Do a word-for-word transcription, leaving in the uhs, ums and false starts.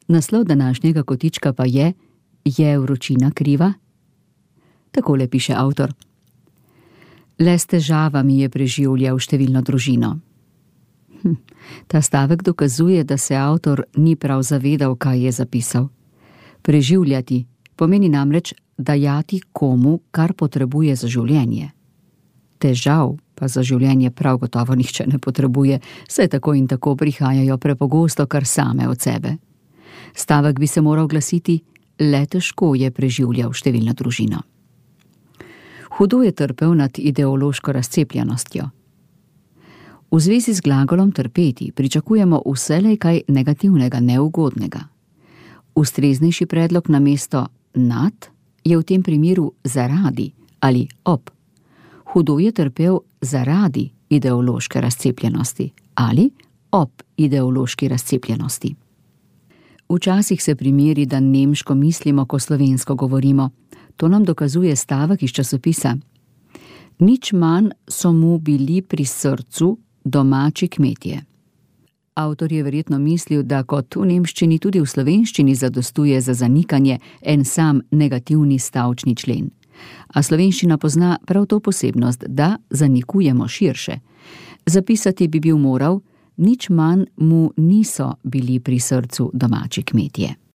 Naslov današnjega kotička pa je: Je vročina kriva? Takole piše avtor. Le s težavami je preživljal številno družino. Hm, ta stavek dokazuje, da se avtor ni prav zavedal, kaj je zapisal. Preživljati pomeni namreč dajati komu, kar potrebuje za življenje. Težav pa za življenje prav gotovo nihče ne potrebuje, saj tako in tako prihajajo prepogosto kar same od sebe. Stavek bi se moral glasiti: le težko je preživljal številno družino. Hudo je trpel nad ideološko razcepljenostjo. V zvezi z glagolom trpeti pričakujemo vselej kaj negativnega, neugodnega. Ustreznejši predlog namesto nad je v tem primeru zaradi ali ob. Hudo je trpel zaradi ideološke razcepljenosti ali ob ideološki razcepljenosti. Včasih se primeri, da nemško mislimo, ko slovensko govorimo. To nam dokazuje stavek iz časopisa. Nič manj so mu bili pri srcu domači kmetje. Avtor je verjetno mislil, da kot v nemščini tudi v slovenščini zadostuje za zanikanje en sam negativni stavčni člen. A slovenščina pozna prav to posebnost, da zanikujemo širše. Zapisati bi bil moral: nič manj mu niso bili pri srcu domači kmetje.